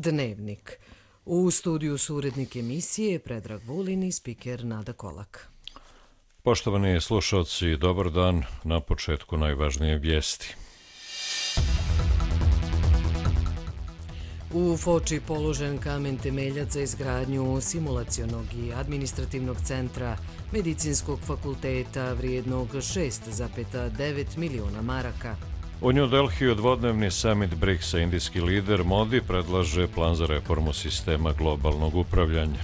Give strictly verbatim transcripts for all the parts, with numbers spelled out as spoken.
Dnevnik. U studiju su urednik emisije Predrag Vulin i spiker Nada Kolak. Poštovani slušalci, dobar dan. Na početku najvažnije vijesti. U Foči položen kamen temeljac za izgradnju simulacionog i administrativnog centra Medicinskog fakulteta vrijednog šest zarez devet miliona maraka. U New Delhiju dvodnevni summit briksa, indijski lider Modi predlaže plan za reformu sistema globalnog upravljanja.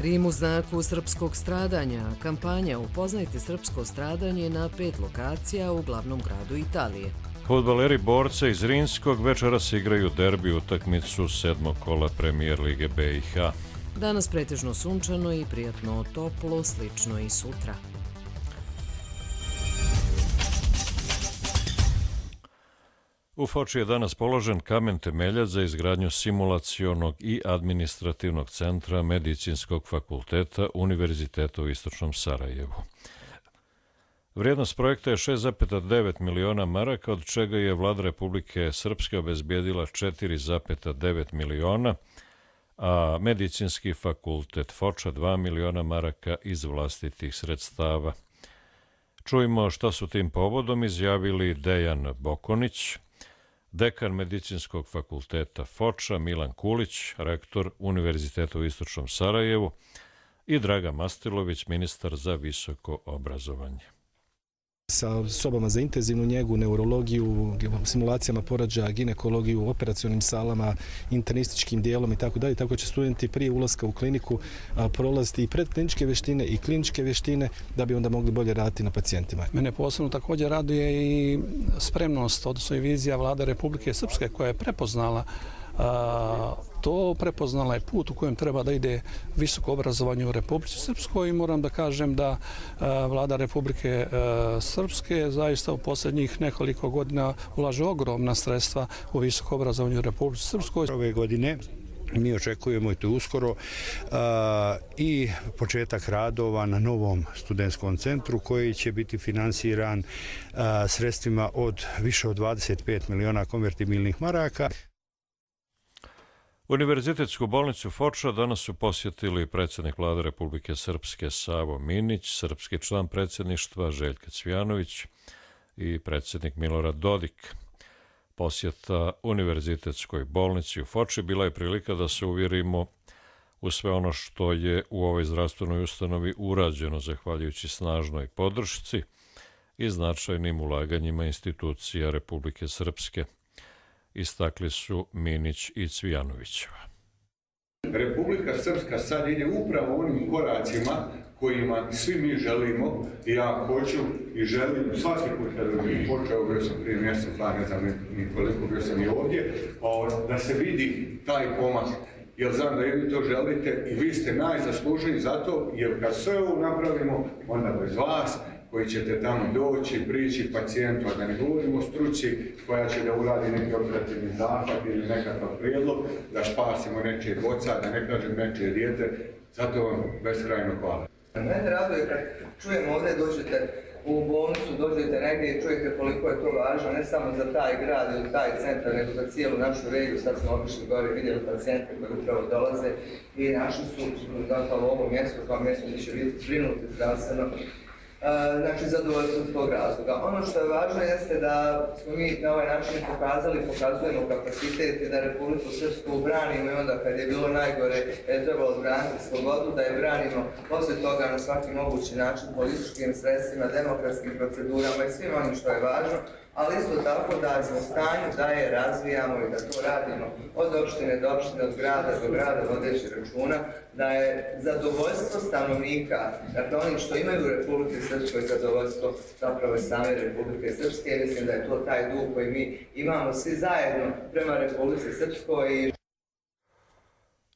Rim u znaku srpskog stradanja. Kampanja Upoznajte srpsko stradanje na pet lokacija u glavnom gradu Italije. Fudbaleri borca iz Rimskog večeras igraju derbi utakmicu sedmog kola Premijer lige B i H. Danas pretežno sunčano i prijatno toplo, slično i sutra. U Foči je danas položen kamen temeljac za izgradnju simulacionog i administrativnog centra Medicinskog fakulteta Univerziteta u Istočnom Sarajevu. Vrijednost projekta je šest zarez devet miliona maraka, od čega je Vlada Republike Srpske obezbijedila četiri zarez devet miliona, a Medicinski fakultet Foča dva miliona maraka iz vlastitih sredstava. Čujmo šta su tim povodom izjavili Dejan Bokonić, dekan Medicinskog fakulteta Foča, Milan Kulić, rektor Univerziteta u Istočnom Sarajevu i Draga Mastilović, ministar za visoko obrazovanje. Sa sobama za intenzivnu njegu, neurologiju, simulacijama porođaja, ginekologiju, operacionim salama, internističkim dijelom i tako dalje. Tako će studenti prije ulaska u kliniku prolaziti i predkliničke vještine i kliničke vještine da bi onda mogli bolje raditi na pacijentima. Mene posebno također raduje i spremnost, odnosno i vizija Vlade Republike Srpske koja je prepoznala A, to prepoznala je put u kojem treba da ide visoko obrazovanje u Republici Srpskoj i moram da kažem da a, Vlada Republike a, Srpske zaista u posljednjih nekoliko godina ulaže ogromna sredstva u visoko obrazovanje u Republici Srpskoj. Ove godine mi očekujemo i to uskoro a, i početak radova na novom studentskom centru koji će biti finansiran a, sredstvima od više od dvadeset pet miliona konvertibilnih maraka. Univerzitetsku bolnicu Foča danas su posjetili predsjednik Vlade Republike Srpske Savo Minić, srpski član predsjedništva Željko Cvijanović i predsjednik Milorad Dodik. Posjeta Univerzitetskoj bolnici u Foči bila je prilika da se uvjerimo u sve ono što je u ovoj zdravstvenoj ustanovi urađeno zahvaljujući snažnoj podršci i značajnim ulaganjima institucija Republike Srpske, istakli su Minić i Cvijanovićeva. Republika Srpska sad ide upravo onim koracima kojima svi mi želimo i ja hoću i želim svaki put kada bi počeo, bio sam prije mjesec, pa ne znam ni koliko, bio sam i ovdje, da se vidi taj pomak. Jer znam da i vi to želite i vi ste najzaslužniji za to, jer kad sve ovo napravimo, onda bez vas, koji ćete tamo doći, prići pacijentu, a da ne govorimo o struci koja će da uradi neki operativni zahvat ili nekakav prijedlog, da spasimo nečije boca, da ne kažem nečije dijete, zato vam beskrajno hvala. Mene raduje kad čujem ovdje, dođete u bolnicu, dođete negdje i čujete koliko je to važno, ne samo za taj grad ili taj centar, nego za cijelu našu regiju. Sad smo otišli gore i vidjeli pacijente koji upravo dolaze i našli su zapravo ovo mjesto kao mjesto gdje će biti zbrinuti zdravstveno. Znači, zadovoljstvo iz tog razloga. Ono što je važno jeste da smo mi na ovaj način pokazali, pokazujemo kapacitet i da Republiku Srpsku branimo i onda kad je bilo najgore je trebalo braniti slobodu, da je branimo poslije toga na svaki mogući način političkim sredstvima, demokratskim procedurama i svim onim što je važno, ali isto tako da smo u stanju da je razvijamo i da to radimo od opštine do opštine, od grada do grada, vodeći računa, da je zadovoljstvo stanovnika, dakle onih što imaju u Republike Srpskoj zadovoljstvo zapravo same Republike Srpske, mislim da je to taj duh koji mi imamo svi zajedno prema Republike Srpskoj.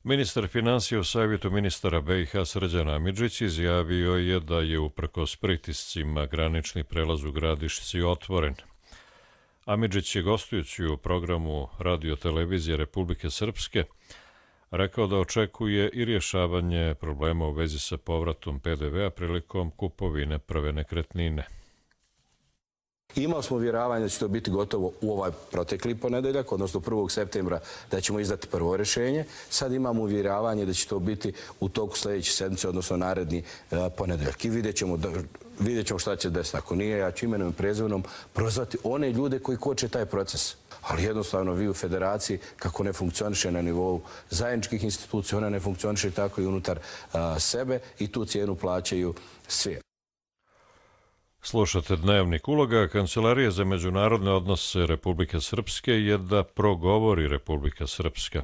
Ministar financija u savjetu ministara B i H Srđan Amidžić izjavio je da je uprkos pritiscima granični prelaz u Gradišci otvoren. Amidžić je gostujući u programu Radio-televizije Republike Srpske rekao da očekuje i rješavanje problema u vezi sa povratom P D V-a prilikom kupovine prve nekretnine. Imali smo uvjeravanje da će to biti gotovo u ovaj protekli ponedeljak, odnosno prvog septembra da ćemo izdati prvo rješenje. Sad imamo uvjeravanje da će to biti u toku sljedeće sedmice, odnosno naredni ponedeljak. I vidjet ćemo, vidjet ćemo šta će desiti. Ako nije, ja ću imenom i prezimenom prozvati one ljude koji koče taj proces. Ali jednostavno vi u federaciji, kako ne funkcioniše na nivou zajedničkih institucija, ona ne funkcioniše tako i unutar a, sebe i tu cijenu plaćaju svi. Slušate Dnevnik. Uloga Kancelarije za međunarodne odnose Republike Srpske je da progovori Republika Srpska.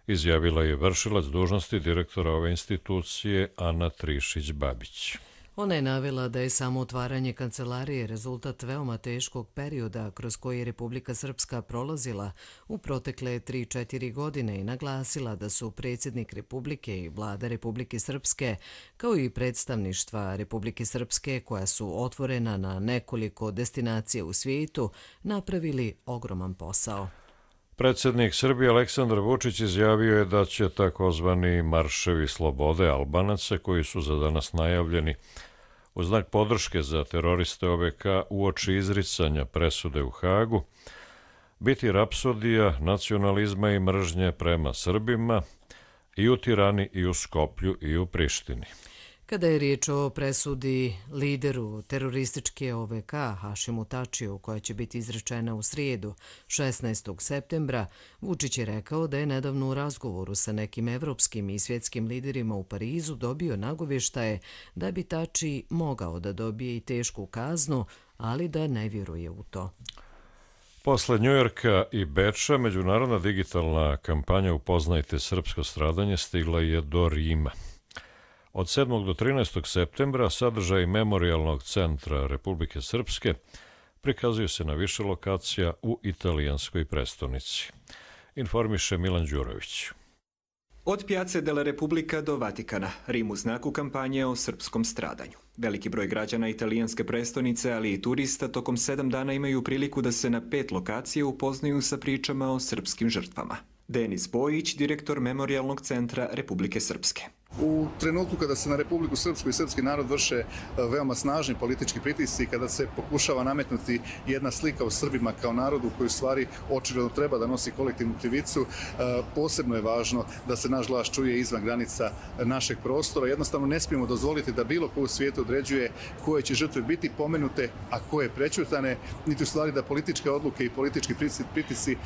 Izjavila je vršilac dužnosti direktora ove institucije Ana Trišić-Babić. Ona je navela da je samo otvaranje kancelarije rezultat veoma teškog perioda kroz koji je Republika Srpska prolazila u protekle tri četiri godine i naglasila da su predsjednik Republike i vlada Republike Srpske, kao i predstavništva Republike Srpske koja su otvorena na nekoliko destinacija u svijetu, napravili ogroman posao. Predsjednik Srbije Aleksandar Vučić izjavio je da će takozvani marševi slobode Albanaca, koji su za danas najavljeni u znak podrške za teroriste O V K uoči izricanja presude u Hagu, biti rapsodija nacionalizma i mržnje prema Srbima i u Tirani i u Skoplju i u Prištini. Kada je riječ o presudi lideru terorističke O V K Hašimu Tačiju, koja će biti izrečena u srijedu šesnaestog septembra, Vučić je rekao da je nedavno u razgovoru sa nekim evropskim i svjetskim liderima u Parizu dobio nagovještaje da bi Tači mogao da dobije i tešku kaznu, ali da ne vjeruje u to. Posle Njujorka i Beča, međunarodna digitalna kampanja Upoznajte srpsko stradanje stigla je do Rima. Od sedmog do trinaestog septembra sadržaj Memorijalnog centra Republike Srpske prikazuju se na više lokacija u italijanskoj prestonici. Informiše Milan Đurović. Od Piazze della Repubblica do Vatikana, Rim u znaku kampanje o srpskom stradanju. Veliki broj građana italijanske prestonice, ali i turista, tokom sedam dana imaju priliku da se na pet lokacija upoznaju sa pričama o srpskim žrtvama. Denis Bojić, direktor Memorijalnog centra Republike Srpske. U trenutku kada se na Republiku Srpsku i srpski narod vrše veoma snažni politički pritisci, kada se pokušava nametnuti jedna slika o Srbima kao narodu koji u stvari očigledno treba da nosi kolektivnu krivicu, posebno je važno da se naš glas čuje izvan granica našeg prostora. Jednostavno ne smijemo dozvoliti da bilo ko u svijetu određuje koje će žrtve biti pomenute, a koje prećutane, niti u stvari da političke odluke i politički pritisci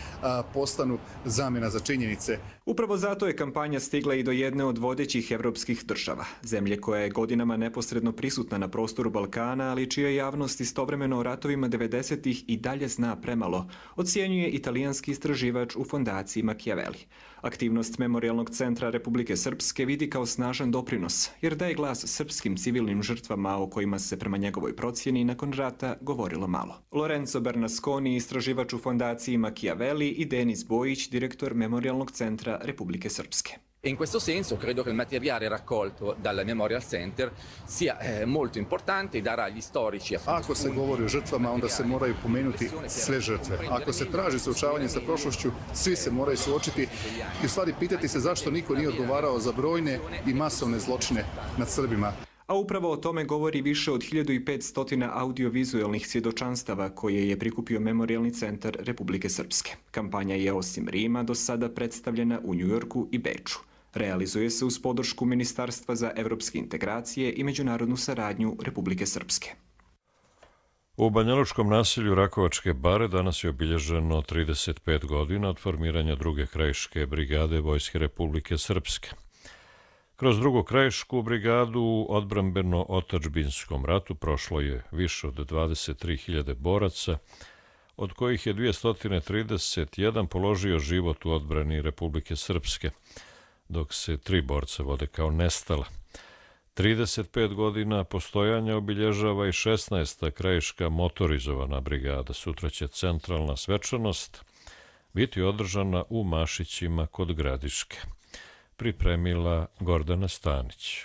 postanu zamjena za činjenice. Upravo zato je kampanja stigla i do jedne od vodećih evropskih država, zemlje koja je godinama neposredno prisutna na prostoru Balkana, ali čija javnost istovremeno o ratovima devedesetih i dalje zna premalo, ocjenjuje italijanski istraživač u fondaciji Machiavelli. Aktivnost Memorijalnog centra Republike Srpske vidi kao snažan doprinos, jer daje glas srpskim civilnim žrtvama o kojima se prema njegovoj procjeni nakon rata govorilo malo. Lorenzo Bernasconi, istraživač u fondaciji Machiavelli, i Denis Bojić, direktor Memorijalnog centra Republike Srpske. In questo senso credo che il materiale raccolto dal Memorial Center sia eh, molto importante e darà agli storici. Ako se govori o žrtvama, onda se moraju pomenuti sve žrtve. Ako se traži suočavanje sa prošlošću, svi se moraju suočiti i u stvari pitati se zašto niko nije odgovarao za brojne i masovne zločine nad Srbima. A upravo o tome govori više od hiljadu petsto audiovizualnih svjedočanstava koje je prikupio Memorijalni centar Republike Srpske. Kampanja je osim Rima do sada predstavljena u Njujorku i Beču. Realizuje se uz podršku Ministarstva za evropske integracije i međunarodnu saradnju Republike Srpske. U banjalučkom naselju Rakovačke bare danas je obilježeno trideset pet godina od formiranja druge krajiške brigade Vojske Republike Srpske. Kroz drugu krajišku brigadu u odbrambeno-otačbinskom ratu prošlo je više od dvadeset tri hiljade boraca, od kojih je dvjesto trideset jedan položio život u odbrani Republike Srpske, dok se tri borca vode kao nestala. trideset pet godina postojanja obilježava i šesnaesta krajiška motorizovana brigada. Sutra će centralna svečanost biti održana u Mašićima kod Gradiške. Pripremila Gordana Stanić.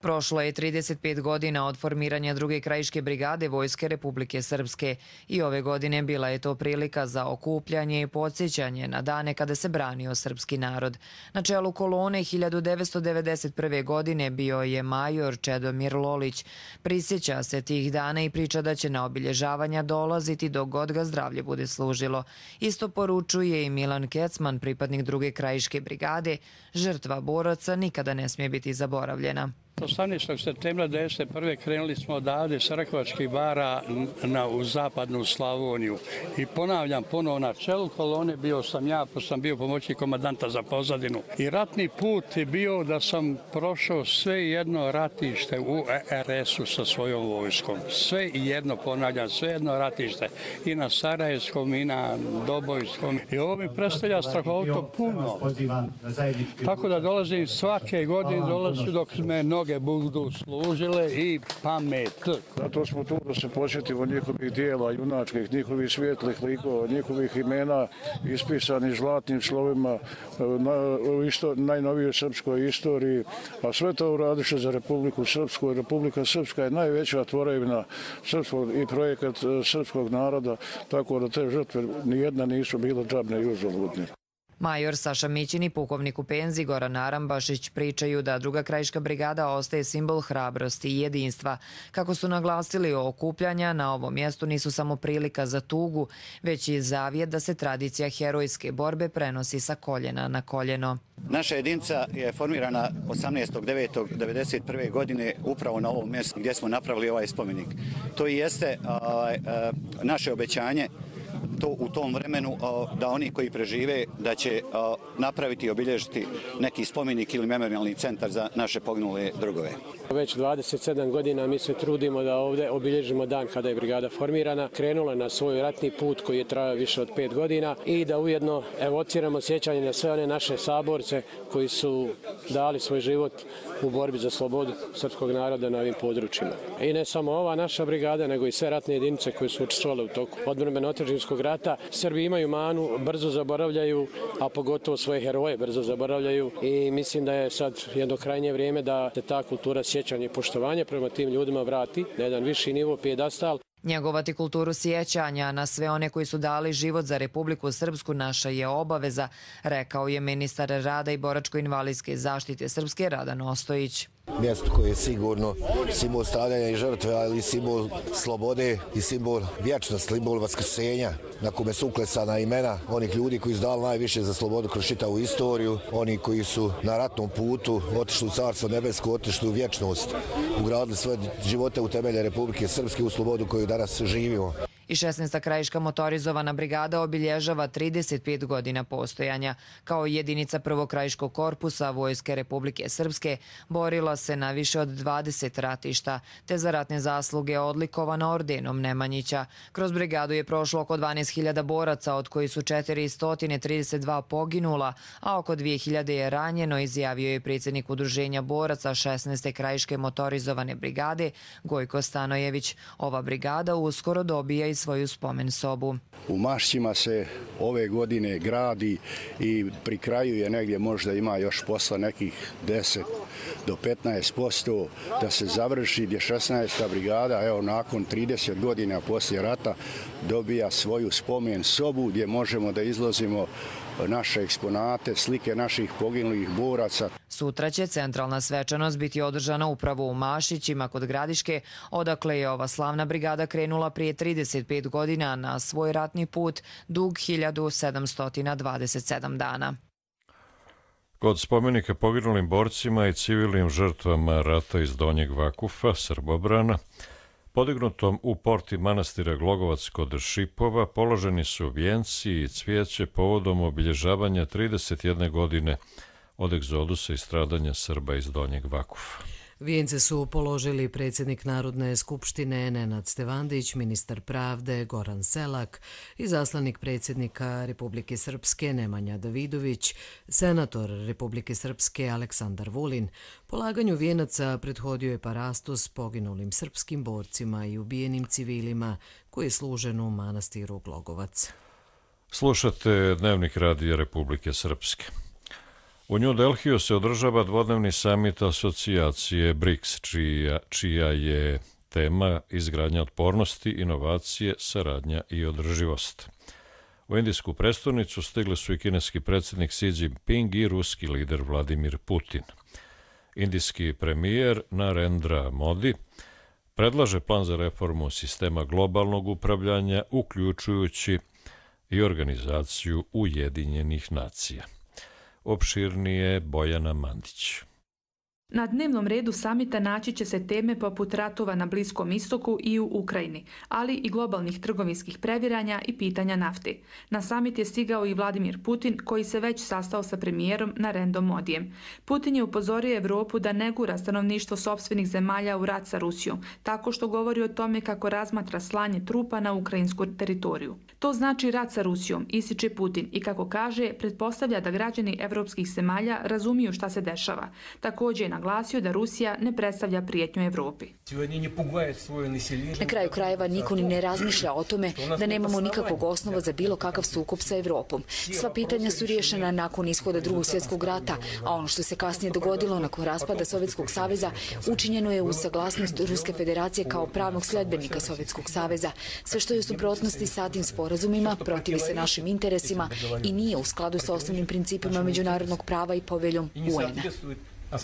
Prošlo je trideset pet godina od formiranja druge krajiške brigade Vojske Republike Srpske i ove godine bila je to prilika za okupljanje i podsjećanje na dane kada se branio srpski narod. Na čelu kolone hiljadu devetsto devedeset prve. godine bio je major Čedomir Lolić. Prisjeća se tih dana i priča da će na obilježavanja dolaziti dok god ga zdravlje bude služilo. Isto poručuje i Milan Kecman, pripadnik druge krajiške brigade. Žrtva boraca nikada ne smije biti zaboravljena. osamnaestog septembra devedeset prve. krenuli smo odavde s Rakovačkih bara na, u zapadnu Slavoniju. I ponavljam, ponovo na čelu kolone bio sam ja, pa sam bio pomoćnik komandanta za pozadinu. I ratni put je bio da sam prošao sve jedno ratište u R S-u sa svojom vojskom. Sve jedno, ponavljam, sve jedno ratište. I na Sarajevskom, i na Dobojskom. I ovo mi predstavlja strahovito puno. Tako da dolazim svake godine, dolazim dok me noge budu služile i pamet. Zato smo tu da se posjetimo njihovih dijela junačkih, njihovih svijetlih likova, njihovih imena ispisanih zlatnim slovima u isto, najnovijoj srpskoj istoriji, a sve to uradiše za Republiku Srpsku. Republika Srpska je najveća tvorevina srpskog i projekat srpskog naroda, tako da te žrtve nijedna nisu bile džabne i uzaludne. Major Saša Mićin i pukovnik u penziji Goran Arambašić pričaju da druga krajiška brigada ostaje simbol hrabrosti i jedinstva. Kako su naglasili, okupljanja na ovom mjestu nisu samo prilika za tugu, već i zavjet da se tradicija herojske borbe prenosi sa koljena na koljeno. Naša jedinica je formirana osamnaestog devetog devedeset prve. godine upravo na ovom mjestu gdje smo napravili ovaj spomenik. To i jeste a, a, naše obećanje to u tom vremenu da oni koji prežive da će napraviti i obilježiti neki spomenik ili memorialni centar za naše poginule drugove. Već dvadeset sedam godina mi se trudimo da ovdje obilježimo dan kada je brigada formirana, krenula na svoj ratni put koji je trajao više od pet godina i da ujedno evociramo sjećanje na sve one naše saborce koji su dali svoj život u borbi za slobodu srpskog naroda na ovim područjima. I ne samo ova naša brigada, nego i sve ratne jedinice koje su učestvovale u toku odbrambeno-otadžbinskog rata. Srbi imaju manu, brzo zaboravljaju, a pogotovo svoje heroje brzo zaboravljaju i mislim da je sad jedno krajnje vrijeme da se ta kultura sjećanja i poštovanja prema tim ljudima vrati na jedan viši nivo, pijedastal. Njegovati kulturu sjećanja na sve one koji su dali život za Republiku Srpsku naša je obaveza, rekao je ministar rada i boračko-invalidske zaštite Srpske Radan Ostojić. Mjesto koje je sigurno simbol stradanja i žrtve, ali i simbol slobode i simbol vječnosti, simbol vaskrsenja, na kome su uklesana imena onih ljudi koji su dali najviše za slobodu kroz čitavu istoriju, oni koji su na ratnom putu otišli u Carstvo nebesko, otišli u vječnost, ugradili svoje živote u temelje Republike Srpske, u slobodu koju danas živimo. I šesnaesta krajiška motorizovana brigada obilježava trideset pet godina postojanja. Kao jedinica prvog krajiškog korpusa Vojske Republike Srpske borila se na više od dvadeset ratišta, te za ratne zasluge odlikovana ordenom Nemanjića. Kroz brigadu je prošlo oko dvanaest hiljada boraca, od koji su četiristo trideset dva poginula, a oko dvije hiljade je ranjeno, izjavio je predsjednik udruženja boraca šesnaeste krajiške motorizovane brigade Gojko Stanojević. Ova brigada uskoro dobija i svoju spomen sobu. U Mašćima se ove godine gradi i pri kraju je negdje možda ima još posla nekih deset do petnaest posto da se završi, gdje šesnaesta brigada, evo nakon trideset godina poslije rata, dobija svoju spomen sobu gdje možemo da izlazimo naše eksponate, slike naših poginulih boraca. Sutra će centralna svečanost biti održana upravo u Mašićima kod Gradiške, odakle je ova slavna brigada krenula prije trideset pet godina na svoj ratni put dug hiljadu sedamsto dvadeset sedam dana. Kod spomenika poginulim borcima i civilnim žrtvama rata iz Donjeg Vakufa, Srbobrana, podignutom u porti manastira Glogovac kod Šipova, položeni su vijenci i cvijeće povodom obilježavanja trideset jedne godine od egzodusa i stradanja Srba iz Donjeg Vakufa. Vijence su položili predsjednik Narodne skupštine Nenad Stevandić, ministar pravde Goran Selak, izaslanik predsjednika Republike Srpske Nemanja Davidović, senator Republike Srpske Aleksandar Vulin. Polaganju vijenaca prethodio je parastos poginulim srpskim borcima i ubijenim civilima koji je služen u manastiru Glogovac. Slušate Dnevnik radija Republike Srpske. U New Delhiju se održava dvodnevni samit asocijacije briks, čija, čija je tema izgradnja otpornosti, inovacije, saradnja i održivost. U indijsku prestonicu stigli su i kineski predsjednik Xi Jinping i ruski lider Vladimir Putin. Indijski premijer Narendra Modi predlaže plan za reformu sistema globalnog upravljanja, uključujući i organizaciju Ujedinjenih nacija. Opširnije Bojana Mandić. Na dnevnom redu samita naći će se teme poput ratova na Bliskom istoku i u Ukrajini, ali i globalnih trgovinskih previranja i pitanja nafte. Na samit je stigao i Vladimir Putin, koji se već sastao sa premijerom Narendrom Modijem. Putin je upozorio Evropu da ne gura stanovništvo sopstvenih zemalja u rat sa Rusijom, tako što govori o tome kako razmatra slanje trupa na ukrajinsku teritoriju. To znači rat sa Rusijom, ističe Putin, i kako kaže, pretpostavlja da građani evropskih zemalja razumiju šta se dešava. Također je naglasio da Rusija ne predstavlja prijetnju Evropi. Na kraju krajeva niko ni ne razmišlja o tome da nemamo nikakvog osnova za bilo kakav sukob sa Evropom. Sva pitanja su riješena nakon ishoda Drugog svjetskog rata, a ono što se kasnije dogodilo nakon raspada Sovjetskog saveza učinjeno je uz saglasnost Ruske federacije kao pravnog sledbenika Sovjetskog saveza. Sve što je u suprotnosti sa tim sporazumima protivi se našim interesima i nije u skladu sa osnovnim principima međunarodnog prava i poveljom U N A.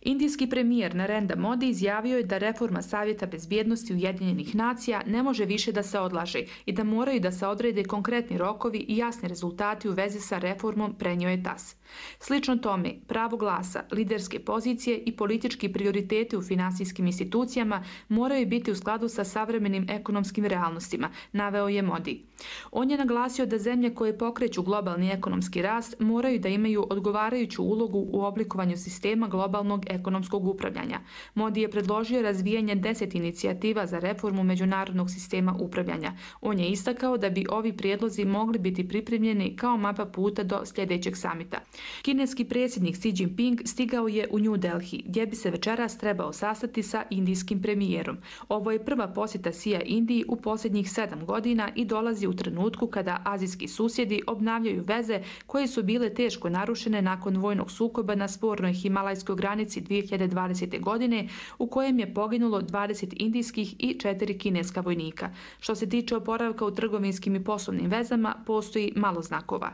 Indijski premijer Narendra Modi izjavio je da reforma Savjeta bezbjednosti Ujedinjenih nacija ne može više da se odlaže i da moraju da se odrede konkretni rokovi i jasni rezultati u vezi sa reformom, prenio je T A S. Slično tome, pravo glasa, liderske pozicije i politički prioriteti u finansijskim institucijama moraju biti u skladu sa savremenim ekonomskim realnostima, naveo je Modi. On je naglasio da zemlje koje pokreću globalni ekonomski rast moraju da imaju odgovarajuću ulogu u oblikovanju sistema globalnog ekonomskog upravljanja. Modi je predložio razvijanje deset inicijativa za reformu međunarodnog sistema upravljanja. On je istakao da bi ovi prijedlozi mogli biti pripremljeni kao mapa puta do sljedećeg samita. Kineski predsjednik Xi Jinping stigao je u New Delhi, gdje bi se večeras trebao sastati sa indijskim premijerom. Ovo je prva posjeta Xija Indiji u posljednjih sedam godina i dolazi u trenutku kada azijski susjedi obnavljaju veze koje su bile teško narušene nakon vojnog sukoba na spornoj himalajskoj granici dvije hiljade dvadesete. godine, u kojem je poginulo dvadeset indijskih i četiri kineska vojnika. Što se tiče oporavka u trgovinskim i poslovnim vezama, postoji malo znakova.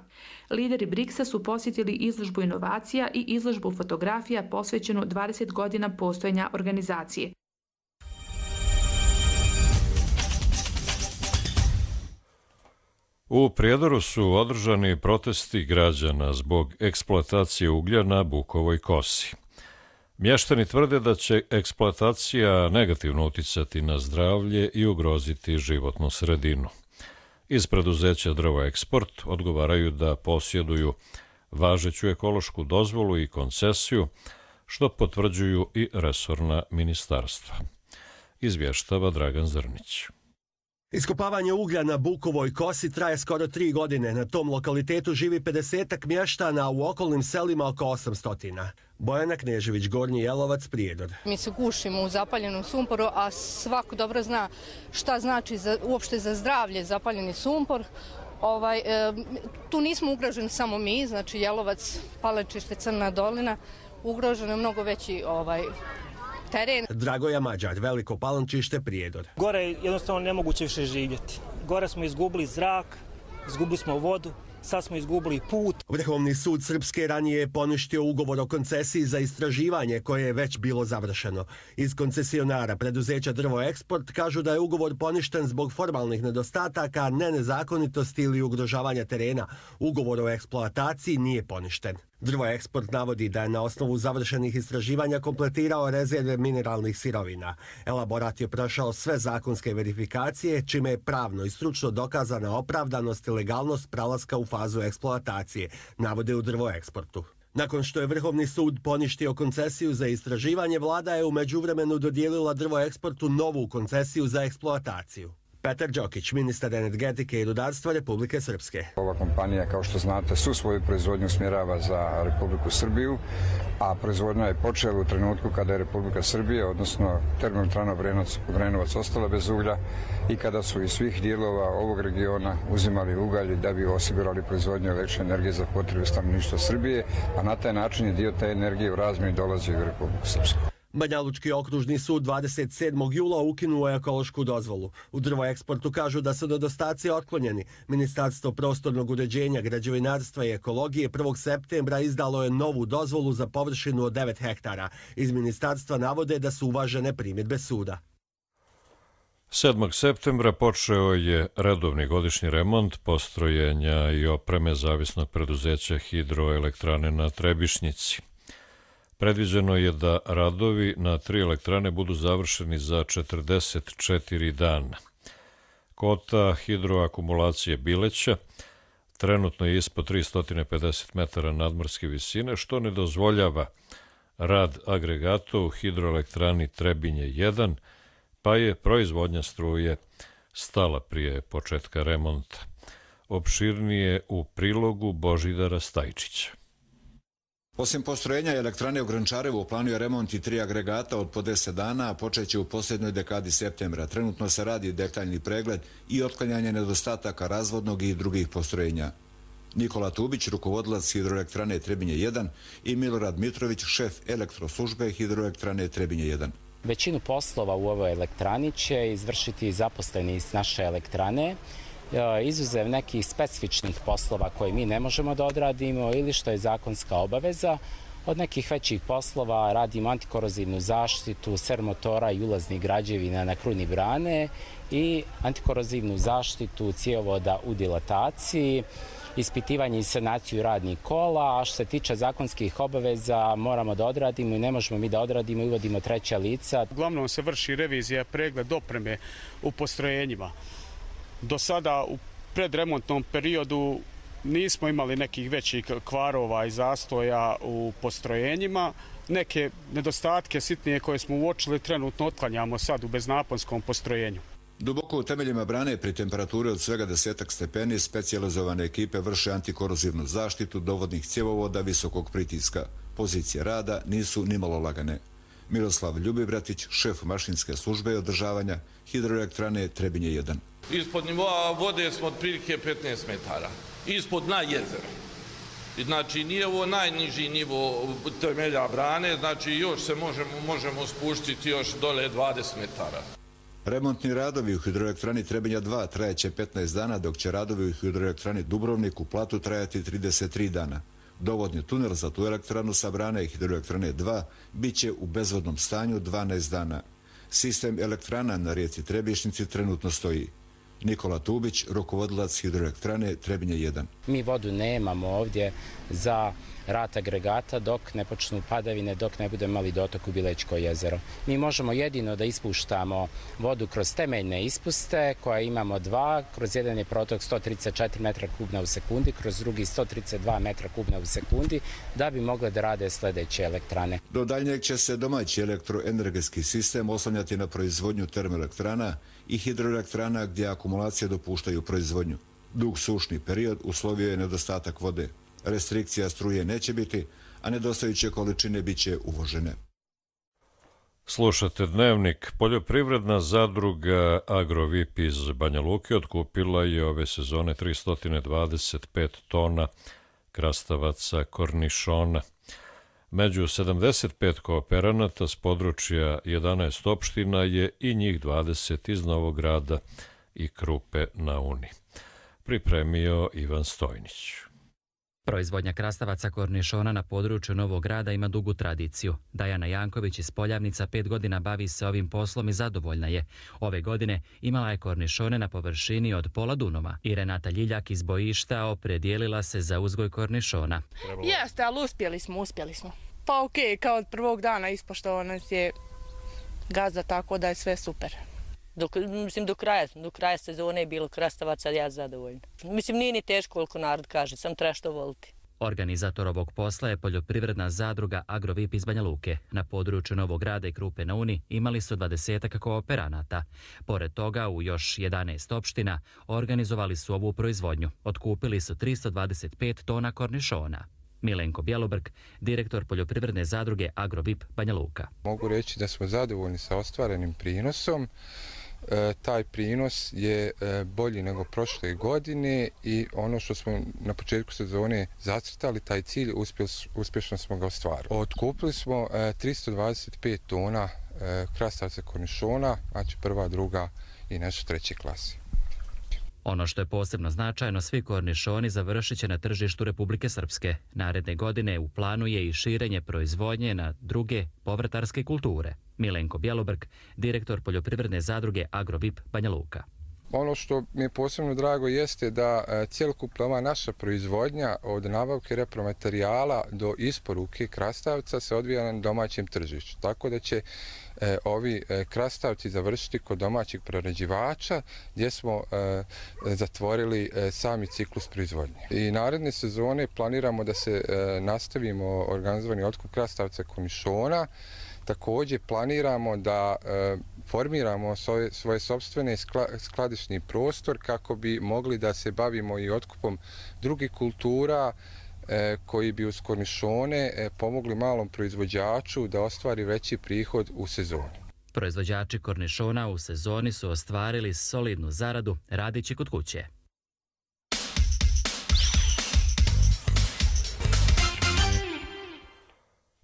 Lideri briksa su posjetili izložbu inovacija i izložbu fotografija posvećenu dvadeset godina postojanja organizacije. U Prijedoru su održani protesti građana zbog eksploatacije uglja na Bukovoj kosi. Mještani tvrde da će eksploatacija negativno uticati na zdravlje i ugroziti životnu sredinu. Iz preduzeća Drvo Eksport odgovaraju da posjeduju važeću ekološku dozvolu i koncesiju, što potvrđuju i resorna ministarstva. Izvještava Dragan Zrnić. Iskopavanje uglja na Bukovoj kosi traje skoro tri godine. Na tom lokalitetu živi pedesetak mještana, a u okolnim selima oko osamsto. Bojana Knežević, Gornji Jelovac, Prijedor. Mi se gušimo u zapaljenom sumporu, a svako dobro zna šta znači za, uopšte za zdravlje zapaljeni sumpor. Ovaj, e, tu nismo ugroženi samo mi, znači Jelovac, Palečište, Crna dolina, ugroženo je mnogo veći ovaj, teren. Dragoja Mađar, Veliko Palančište, Prijedor. Gore je jednostavno nemoguće više živjeti. Gore smo izgubili zrak, izgubili smo vodu, sad smo izgubili put. Vrhovni sud Srpske ranije je poništio ugovor o koncesiji za istraživanje koje je već bilo završeno. Iz koncesionara preduzeća Drvo Eksport kažu da je ugovor poništen zbog formalnih nedostataka, ne nezakonitosti ili ugrožavanja terena. Ugovor o eksploataciji nije poništen. Drvo Eksport navodi da je na osnovu završenih istraživanja kompletirao rezerve mineralnih sirovina. Elaborat je prošao sve zakonske verifikacije, čime je pravno i stručno dokazana opravdanost i legalnost prelaska u fazu eksploatacije, navode u Drvo Eksportu. Nakon što je Vrhovni sud poništio koncesiju za istraživanje, vlada je u međuvremenu dodijelila Drvo Eksportu novu koncesiju za eksploataciju. Petar Đokić, ministar energetike i rudarstva Republike Srpske. Ova kompanija, kao što znate, su svoju proizvodnju smjerava za Republiku Srbiju, a proizvodnja je počela u trenutku kada je Republika Srbija, odnosno termoelektrana Obrenovac, ostala bez uglja i kada su iz svih dijelova ovog regiona uzimali ugalj da bi osigurali proizvodnju električne energije za potrebe stanovništva Srbije, a na taj način je dio te energije u razmjeni dolazi u Republiku Srpsku. Banjalučki okružni sud dvadeset sedmog jula ukinuo je ekološku dozvolu. U Drvoeksportu kažu da su nedostaci otklonjeni. Ministarstvo prostornog uređenja, građevinarstva i ekologije prvog septembra izdalo je novu dozvolu za površinu od devet hektara. Iz ministarstva navode da su uvažene primjedbe suda. sedmog septembra počeo je redovni godišnji remont postrojenja i opreme zavisnog preduzeća Hidroelektrane na Trebišnjici. Predviđeno je da radovi na tri elektrane budu završeni za četrdeset četiri dana. Kota hidroakumulacije Bileća trenutno je ispod tristo pedeset metara nadmorske visine, što ne dozvoljava rad agregata u hidroelektrani Trebinje jedan, pa je proizvodnja struje stala prije početka remonta. Opširnije u prilogu Božidara Stajčića. Osim postrojenja elektrane u Grančarevu, u planu je remont i tri agregata od po deset dana, a počeće u posljednjoj dekadi septembra. Trenutno se radi detaljni pregled i otklanjanje nedostataka razvodnog i drugih postrojenja. Nikola Tubić, rukovodilac hidroelektrane Trebinje jedan i Milorad Mitrović, šef elektroslužbe hidroelektrane Trebinje jedan. Većinu poslova u ovoj elektrani će izvršiti zaposleni iz naše elektrane, izuzev nekih specifičnih poslova koje mi ne možemo da odradimo ili što je zakonska obaveza. Od nekih većih poslova radimo antikorozivnu zaštitu sermotora i ulaznih građevina na kruni brane i antikorozivnu zaštitu cjevovoda u dilataciji, ispitivanje i sanaciju radnih kola, a što se tiče zakonskih obaveza moramo da odradimo i ne možemo mi da odradimo i uvodimo treća lica. Uglavnom se vrši revizija, pregled opreme u postrojenjima. Do sada u predremontnom periodu nismo imali nekih većih kvarova i zastoja u postrojenjima. Neke nedostatke sitnije koje smo uočili trenutno otklanjamo sad u beznaponskom postrojenju. Duboko u temeljima brane pri temperaturi od svega desetak stepeni specijalizovane ekipe vrše antikorozivnu zaštitu dovodnih cjevovoda visokog pritiska. Pozicije rada nisu nimalo lagane. Miroslav Ljubivratić, šef mašinske službe i održavanja hidroelektrane Trebinje jedan. Ispod nivoa vode smo otprilike petnaest metara. Ispod dna jezera. Znači nije ovo najniži nivo temelja brane, znači još se možemo, možemo spuštiti još dole dvadeset metara. Remontni radovi u hidroelektrani Trebinja dva trajaće petnaest dana, dok će radovi u hidroelektrani Dubrovnik u Platu trajati trideset tri dana. Dovodni tunel za tu elektranu sa brane hidroelektrane dva bit će u bezvodnom stanju dvanaest dana. Sistem elektrana na rijeci Trebišnjici trenutno stoji. Nikola Tubić, rukovodilac hidroelektrane Trebinje jedan. Mi vodu nemamo ovdje za rad agregata dok ne počnu padavine, dok ne budemo imali dotok u Bilećko jezero. Mi možemo jedino da ispuštamo vodu kroz temeljne ispuste koje imamo dva, kroz jedan je protok sto trideset četiri metra kubna u sekundi, kroz drugi sto trideset dva metra kubna u sekundi, da bi mogle da rade sljedeće elektrane. Do daljnjeg će se domaći elektroenergetski sistem oslanjati na proizvodnju termoelektrana i hidroelektrana gdje akumulacije dopuštaju proizvodnju. Dug sušni period uslovio je nedostatak vode. Restrikcija struje neće biti, a nedostajuće količine bit će uvožene. Slušate Dnevnik. Poljoprivredna zadruga Agrovip iz Banja Luke otkupila je ove sezone tristo dvadeset pet tona krastavaca kornišona. Među sedamdeset pet kooperanata s područja jedanaest opština je i njih dvadeset iz Novog Grada i Krupe na Uni. Pripremio Ivan Stojnić. Proizvodnja krastavaca kornišona na području Novog Grada ima dugu tradiciju. Dajana Janković iz Poljavnica pet godina bavi se ovim poslom i zadovoljna je. Ove godine imala je kornišone na površini od pola Dunova. I Renata Ljiljak iz Bojišta opredijelila se za uzgoj kornišona. Jeste, ali uspjeli smo, uspjeli smo. Pa okej, okay, kao od prvog dana ispoštovao nas je gazda, tako da je sve super. Dok, mislim, do kraja, do kraja sezone je bilo krastavaca, ja zadovoljna. Mislim, nije ni teško koliko narod kaže, sam treba što voliti. Organizator ovog posla je poljoprivredna zadruga Agrovip iz Banja Luke. Na području Novog Grada i Krupe na Uni imali su dvadesetak kooperanata. Pored toga, u još jedanaest opština organizovali su ovu proizvodnju. Otkupili su tristo dvadeset pet tona kornišona. Milenko Bjelobrk, direktor poljoprivredne zadruge Agrovip Banja Luka. Mogu reći da smo zadovoljni sa ostvarenim prinosom. E, taj prinos je e, bolji nego prošle godine i ono što smo na početku sezone zacrtali, taj cilj, uspjeli, uspješno smo ga ostvarili. Otkupili smo e, tristo dvadeset pet tona e, krastavca kornišona, znači prva, druga i nešto treće klase. Ono što je posebno značajno, svi kornišoni završit će na tržištu Republike Srpske. Naredne godine u planu je i širenje proizvodnje na druge povrtarske kulture. Milenko Bjelobrk, direktor poljoprivredne zadruge Agrovip Banja Luka. Ono što mi je posebno drago jeste da cjelokupna ova naša proizvodnja od nabavke repromaterijala do isporuke krastavca se odvija na domaćem tržištu. Tako da će e, ovi e, krastavci završiti kod domaćih prerađivača gdje smo e, zatvorili e, sami ciklus proizvodnje. I naredne sezone planiramo da se e, nastavimo organizovani otkup krastavca kornišona. Također planiramo da e, formiramo svoje, svoje sopstvene skladišni prostor kako bi mogli da se bavimo i otkupom drugih kultura e, koji bi uz kornišone e, pomogli malom proizvođaču da ostvari veći prihod u sezoni. Proizvođači kornišona u sezoni su ostvarili solidnu zaradu radeći kod kuće.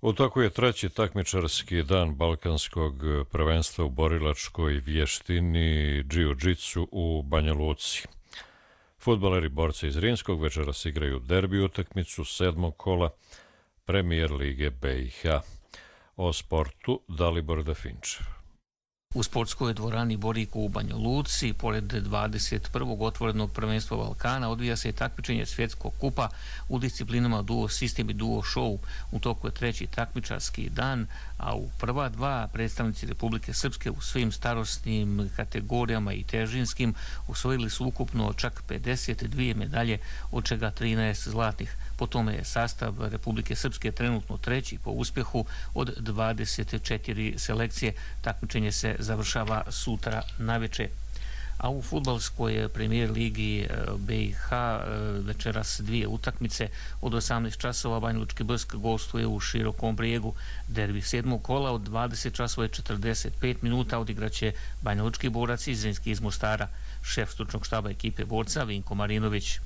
U toku je treći takmičarski dan Balkanskog prvenstva u borilačkoj vještini džiu-džitsu u Banja Luci. Fudbaleri borca iz Rimskog večeras igraju derbi utakmicu sedmog kola Premijer lige B i H. O sportu Dalibor Dafinčev. U sportskoj dvorani Boriku u Banja Luci, pored dvadeset prvog otvorenog prvenstva Balkana, odvija se takmičenje svjetskog kupa u disciplinama duo sistem i duo show. U toku je treći takmičarski dan, a u prva dva predstavnici Republike Srpske u svim starosnim kategorijama i težinskim osvojili su ukupno čak pedeset dvije medalje, od čega trinaest zlatnih. Po tome je sastav Republike Srpske trenutno treći po uspjehu od dvadeset četiri selekcije. Takmičenje se završava sutra naveče. A u fudbalskoj premijer ligi B i H večeras dvije utakmice. Od osamnaest časova Banjalučki Brsk gostuje u Širokom Brijegu. Derbi sedmog kola od dvadeset časova i četrdeset pet minuta odigraće Banjalučki borac i Zrinski iz Mostara. Šef stručnog štaba ekipe borca Vinko Marinović.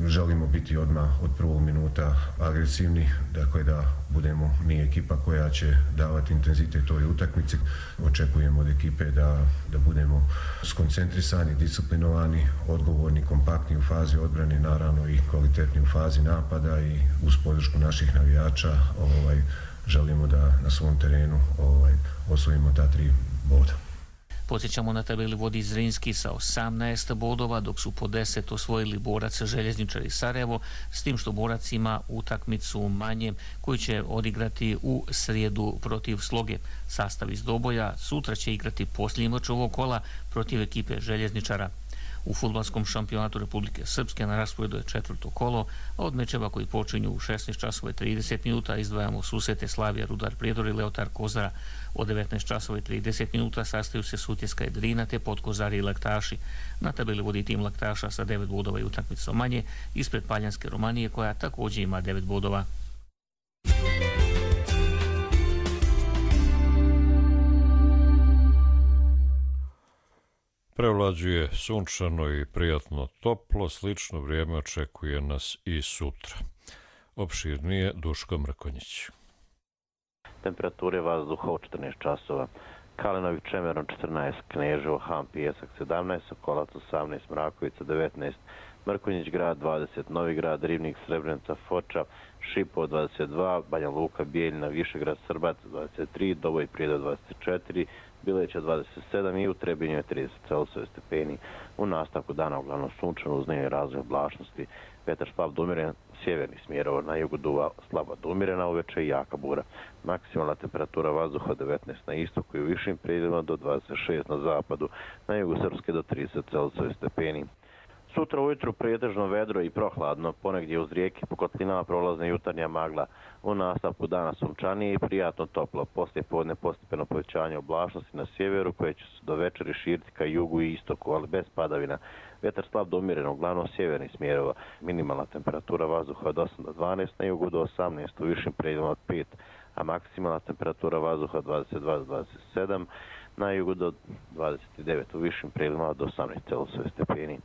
Želimo biti odmah od prvog minuta agresivni, dakle da budemo mi ekipa koja će davati intenzitet ovoj utakmici. Očekujemo od ekipe da, da budemo skoncentrisani, disciplinovani, odgovorni, kompaktni u fazi odbrane, naravno i kvalitetni u fazi napada i uz podršku naših navijača ovaj, želimo da na svom terenu ovaj, osvojimo ta tri boda. Podsjećamo, na tabeli vodi Zrinski sa osamnaest bodova, dok su po deset osvojili borac Željezničar i Sarajevo, s tim što borac ima utakmicu manje koju će odigrati u srijedu protiv Sloge. Sastav iz Doboja sutra će igrati posljednji meč ovog kola protiv ekipe Željezničara. U fudbalskom šampionatu Republike Srpske na rasporedu je četvrto kolo, a od mečeva koji počinju u šesnaest časova i trideset minuta izdvajamo susrete Slavija, Rudar Prijedor i Leotar Kozara. Od devetnaest časova i trideset minuta sastaju se Sutjeska i Drina te Podkozari i Laktaši. Na tabeli vodi tim Laktaša sa devet bodova i utakmicom manje, ispred Paljanske Romanije koja također ima devet bodova. Prevlađuje sunčano i prijatno toplo, slično vrijeme očekuje nas i sutra. Opširnije Duško Mrkonjić. Temperature vazduha u četrnaest časova. Kalinović, Čemerom četrnaest, Kneževo, Han, Pijesak sedamnaest, Sokolac osamnaest, Mrakovica devetnaest, Mrkonjić grad dvadeset, Novi grad, Rivnik, Srebrenica, Foča, Šipovo dvadeset dva, Banja Luka, Bijeljina, Višegrad, Srbac dvadeset tri, Doboj Prijedor dvadeset četiri, Bileća dvadeset sedam i u Trebinju je trideset Celsijusa stepeni. U nastavku dana uglavnom sunčano uz njevi razvoj oblačnosti. Vetar slab do umiren, sjeverni smjerova, na jugu duva slaba do umirena, uveče i jaka bura. Maksimalna temperatura vazduha devetnaest na istoku i u višim predjelima do dvadeset šest na zapadu, na jugu Srpske do trideset Celsijusa stepeni. Sutra ujutru pretežno vedro i prohladno, ponegdje uz rijeke po kotlinama prolazna jutarnja magla. U nastavku dana sunčanije i prijatno toplo. Poslije podne postepeno povećanje oblačnosti na sjeveru koje će se do večeri širiti ka jugu i istoku, ali bez padavina. Vjetar slab do umjeren, uglavnom sjevernih smjerova. Minimalna temperatura vazduha od osam do dvanaest, na jugu do osamnaest, u višim predjelima od pet, a maksimalna temperatura vazduha od dvadeset dva do dvadeset sedam, na jugu do dvadeset devet, u višim predjelima od osamnaest Celzijusovih stepeni.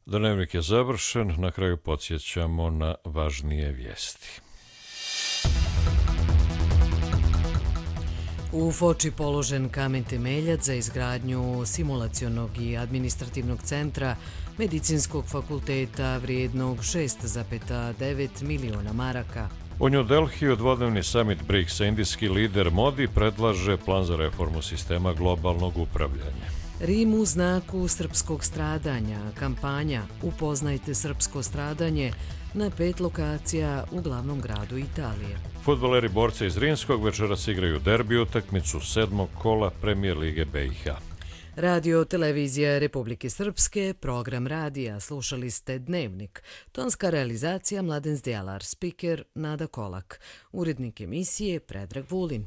Dnevnik je završen, na kraju podsjećamo na važnije vijesti. U Foči položen kamen temeljac za izgradnju simulacionog i administrativnog centra Medicinskog fakulteta vrijednog šest zarez devet miliona maraka. U New Delhiju dvodnevni summit briksa indijski lider Modi predlaže plan za reformu sistema globalnog upravljanja. Rim u znaku srpskog stradanja, kampanja Upoznajte srpsko stradanje na pet lokacija u glavnom gradu Italije. Fudbaleri borca iz Rimskog večeras igraju derbi utakmicu sedmog kola Premijer lige B i H. Radio Televizija Republike Srpske, program radija, slušali ste Dnevnik. Tonska realizacija Mladen Zdjelar, spiker Nada Kolak, urednik emisije Predrag Vulin.